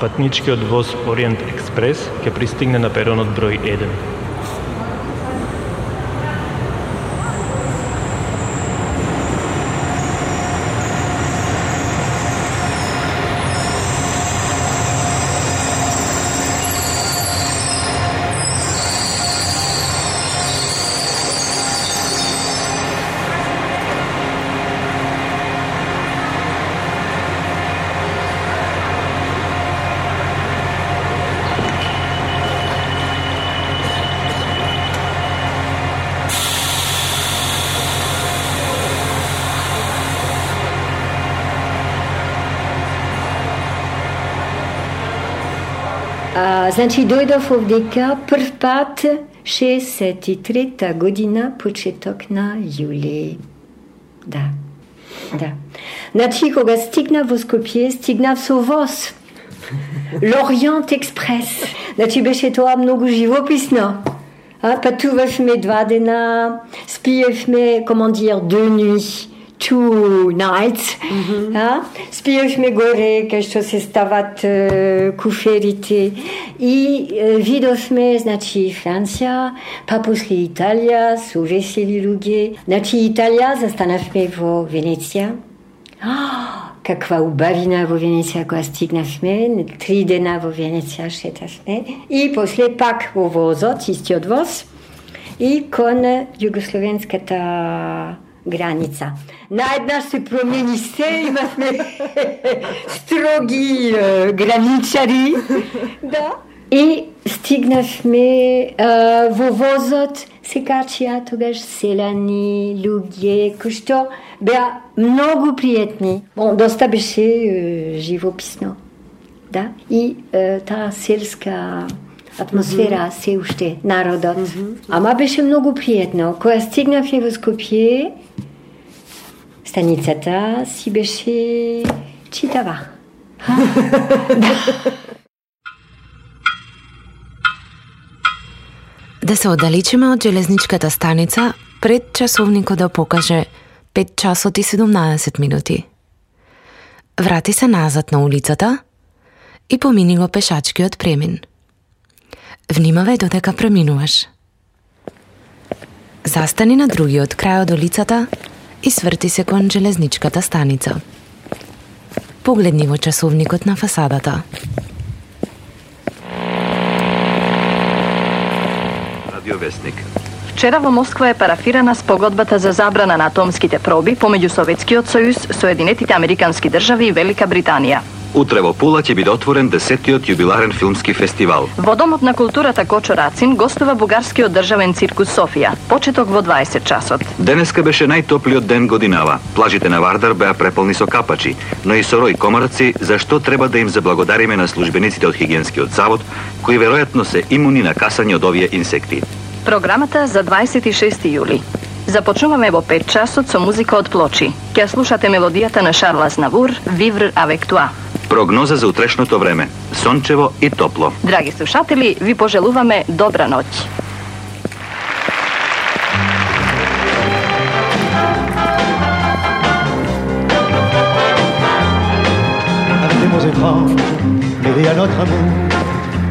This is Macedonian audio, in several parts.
Патничкиот воз Ориент Експрес ќе пристигне на перонот број 1. Значи, дојдов овдека прв пат 63-та година, почеток на јули. Да. Значи, кога стигнав во Скопје, стигнав со воз. L'Orient Експрес. Значи, беше тоа многу живописно. Патувавме 2 дена, спиевме, командир, 2 nuits. 2 nights. Спиевме горе, кај што се стават куферите. И видовме, значи, Франција, па после Италија, со весели луѓе. Значи, Италија, застанавме во Венеција. Каква убавина во Венеција кога стигнавме. 3 дена во Венеција шетавме. И после пак во возот, истиот воз. И кон југословенската граница. Наеднаш се промени се, имавме строги граничари. Да. И стигнавме во возот, се качија тогаш селани, луѓе, кои што беа многу пријатни. Доста беше живописно. Да. И таа селска атмосфера се уште, народот. Ама беше многу пријатно. Кога стигнавме во Скопје, станицата си беше читава. Да се оддалечиме од железничката станица, пред часовникот да покаже 5 часот и 17 минути. Врати се назад на улицата и помини го пешачкиот премин. Внимавај додека преминуваш. Застани на другиот крај од улицата и сврти се кон железничката станица. Погледни во часовникот на фасадата. Радиовестник. Вчера во Москва е парафирана спогодбата за забрана на атомските проби помеѓу Советскиот сојуз, Соединетите американски држави и Велика Британија. Утре во Пула ќе биде отворен 10-тиот јубиларен филмски фестивал. Во Домот на културата Кочо Рацин гостува бугарскиот државен циркус Софија. Почеток во 20 часот. Денеска беше најтоплиот ден годинава. Плажите на Вардар беа преполни со капачи, но и со рој комарци, за што треба да им заблагодариме на службениците од Хигиенскиот завод, кои веројатно се имуни на касање од овие инсекти. Програмата за 26 јули. Започнуваме во 5 часот со музика од Плочи. Ќе слушате мелодијата на Шарл Азнавур, Vivre avec toi. Прогноза за утрешното време. Сончево и топло. Драги слушатели, ви пожелуваме добра ноќ. Avec des mots étranges, mêlés à notre amour,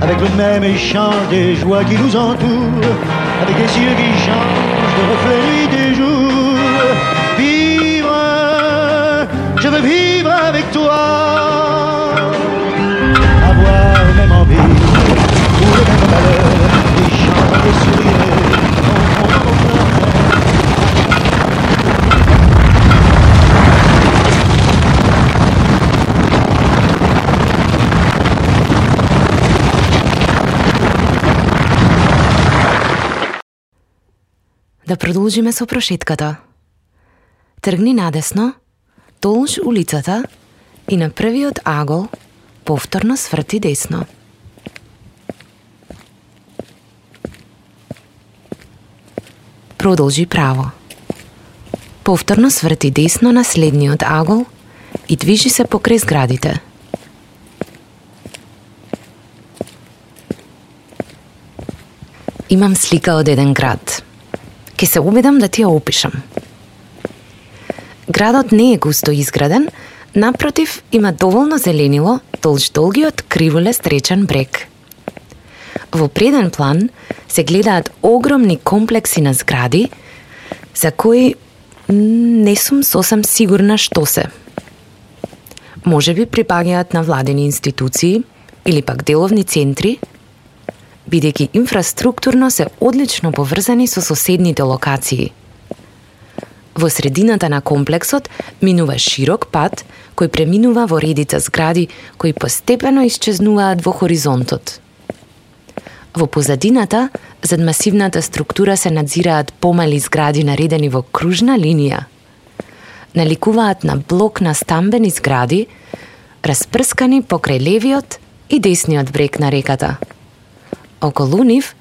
avec le même échange des joies qui nous entourent, avec des cieux qui changent de reflets des jours. Vivre, je veux vivre avec toi. Avoir le même envie, ou le même malheur, des chants, des sourires, Да продолжиме со прошетката. Тргни надесно, толуш улицата и на првиот агол повторно сврти десно. Продолжи право. Повторно сврти десно на следниот агол и движи се покрај зградите. Имам слика од еден град. Ке се убедам да ти ја опишам. Градот не е густо изграден, напротив има доволно зеленило толж долгиот криволест речен брег. Во преден план се гледаат огромни комплекси на згради, за кои не сум сосем сигурна што се. Може би припагаат на владени институции или пак деловни центри, бидејќи инфраструктурно се одлично поврзани со соседните локации. Во средината на комплексот минува широк пат кој преминува во редица згради кои постепено исчезнуваат во хоризонтот. Во позадината, зад масивната структура се надзираат помали згради наредени во кружна линија. Наликуваат на блок на стамбени згради, распрскани покрај левиот и десниот брег на реката. Околу нив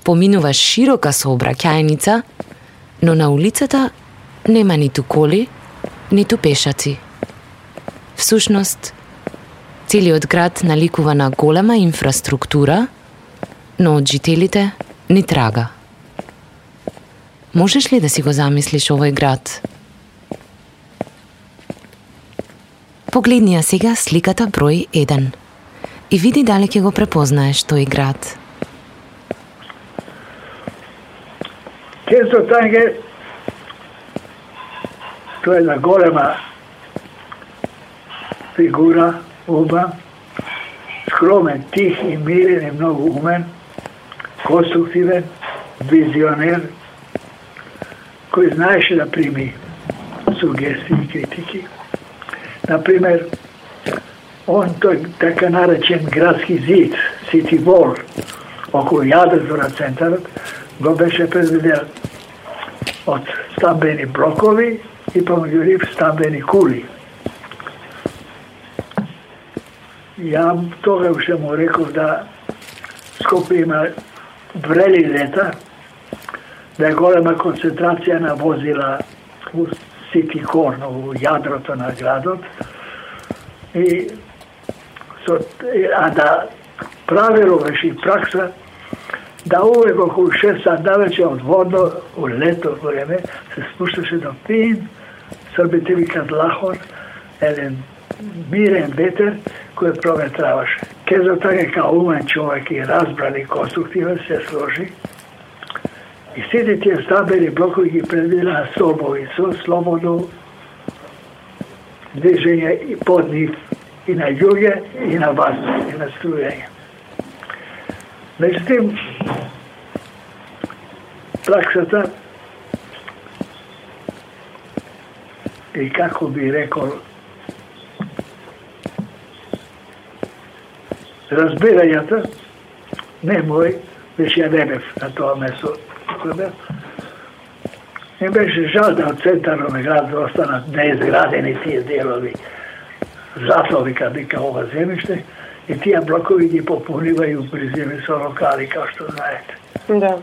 поминува широка сообраќајница, но на улицата нема ниту коли, ниту пешаци. Всушност, целиот град наликува на голема инфраструктура, но од жителите ни трага. Можеш ли да си го замислиш овој град? Погледни ја сега сликата број 1 и види дали ќе го препознаеш тој град. Кензотанге, тоа е една голема фигура, ума, скромен, тих и мирен и многу умен, конструктивен, визионер, кој знаеше да прими сугестии и критики. Например, он тој така наречен градски зид, City Wall, околу јадрото на центарот, го беше предвидел од стамбени блокови и помеѓу нив стамбени кули. Ја тога уште му реков да Скопје има врели лета, да е голема концентрација на возила у City Core, у јадрото на градот, а да правило беше и пракса да увек околу 6 сат навече од водно, у лето време, се спушташе до фин, србите викат лахор, еден мирен ветер кој проветраваше. Кензотанге као умен човек и разбран и конструктивен се сложи и сите тие стамбени блокови ги предвидела собови со слободно движење и под нив, и на југе, и на воздух, и на струјање. Меѓутоа, праксата и како би рекол, разбирањата, не мој, беше ја не бев на тоа место. Не беше жал да од центарот на град останат неизградени тие делови. Затоа вика ова земјиште и тие блокови ги попунивају близини со локали, како што знаете. Да.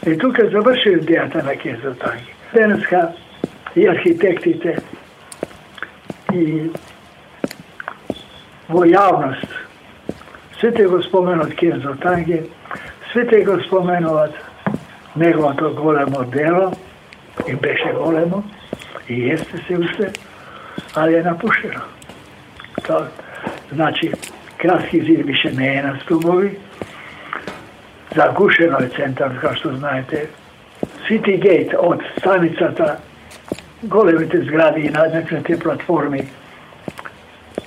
И тука заврши идејата на Кензотанге. Денеска и архитектите и во јавност сите го споменат Кензотанге, сите го споменуват неговото големо дело, и беше големо, и есте се уште, али е напуштено. Тоа, значи, Градски зид више не е на стубови, загушено е центар, како што знаете. City Gate од станицата, големите згради и наднечните платформи,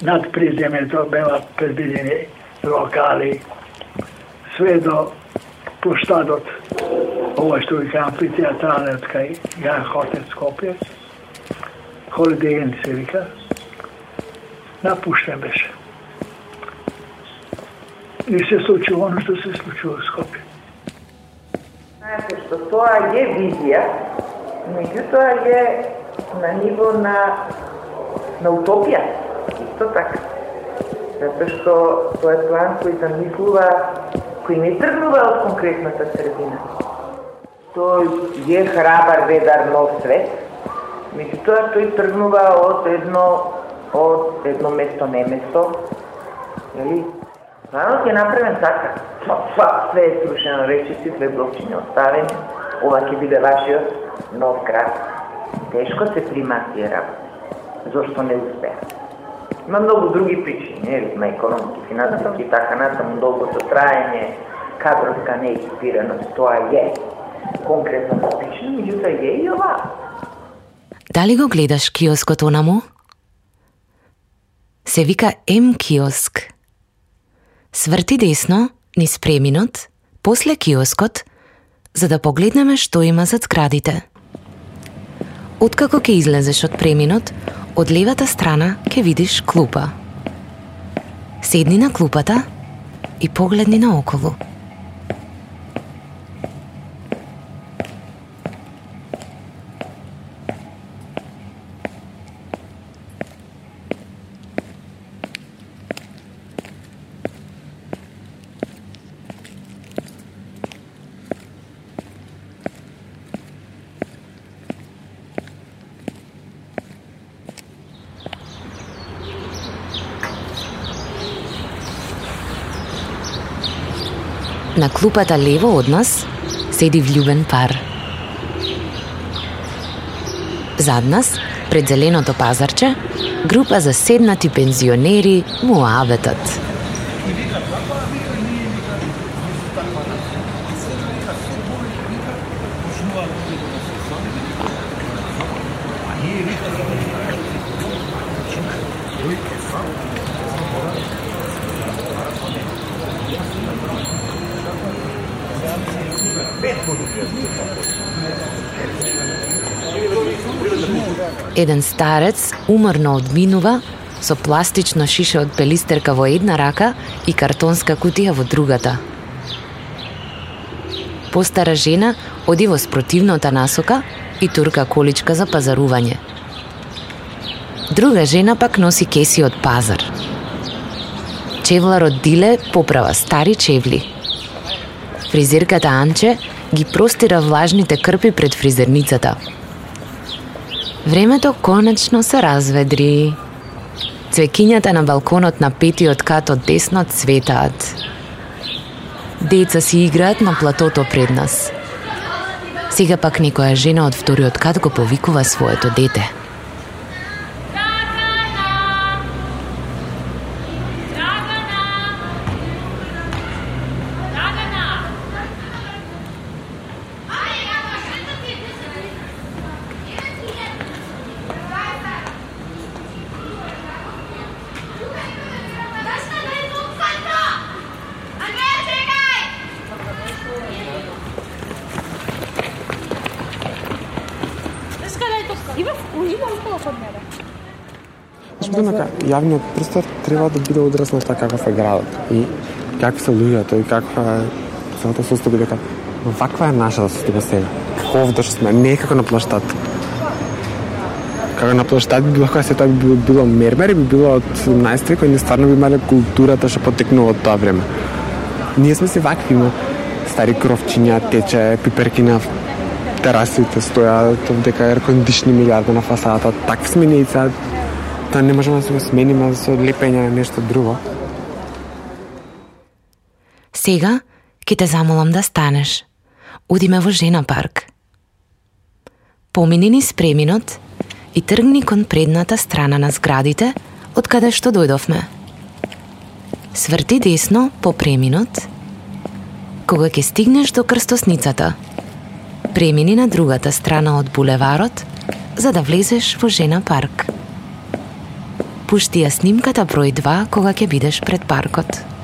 над приземјето беа предвидени локали, све до площадот, ова што вика амфитеатралниот кај Јан Хотел Скопје, Holiday Inn се вика, напуштен беше. И се случува оно што се случува во Скопје. Знаете што тоа е визија, меѓутоа е на ниво на утопија, исто така. Затоа што тоа е план кој замислува, кој не тргнува од конкретната средина. Тој е храбар ведар нов свет, меѓутоа тој тргнува од едно место неместо, нели? Планот е направен така. Све е срушено, речиси, све блокчиња оставени, ова ќе биде вашиот нов град. Тешко се примаат тие работи. Зошто не успеа? Има многу други причини, нели? Има економски, финансиски и така натаму, долгото траење, кадровска неекипираност, тоа е конкретно причина, меѓутоа е и ова. Дали го гледаш киоскот онаму? Се вика М-киоск. Сврти десно, низ преминот, после киоскот, за да погледнеме што има зад зградите. Откако ќе излезеш од преминот, од левата страна ќе видиш клупа. Седни на клупата и погледни наоколу. На клупата лево од нас седи влюбен пар. Зад нас, пред зеленото пазарче, група заседнати пензионери муабетат. Еден старец уморно одминува со пластично шише од пелистерка во една рака и картонска кутија во другата. Постара жена оди во спротивната насока и турка количка за пазарување. Друга жена пак носи кеси од пазар. Чевларот Диле поправа стари чевли. Фризерката Анче ги простира влажните крпи пред фризерницата. Времето конечно се разведри. Цвекињата на балконот на петиот кат од десно цветаат. Деца си играат на платото пред нас. Сега пак некоја жена од вториот кат го повикува своето дете. Јавниот простор треба да биде одраз на така каков е градот и какви се луѓето и каква е самото состојба, дека ваква е нашата состојба сега. Како овде што сме, не како на плаштад. Како на плаштад би било, кога се тоа би било мермер и би било од 17 век, кој стварно би имале културата што потекнува од тоа време. Ние сме се вакви, има стари кровчиња, тече, пиперки на терасите стојат, дека ер кондишни милиарда на фасадата, такви сме ние сега. Тоа не можеме да се го смениме со лепење на нешто друго. Сега ќе те замолам да станеш. Одиме во Жена парк. Помини низ преминот и тргни кон предната страна на зградите од каде што дојдовме. Сврти десно по преминот. Кога ќе стигнеш до крстосницата, премини на другата страна од булеварот за да влезеш во Жена парк. Пушти ја снимката број 2 кога ќе бидеш пред паркот.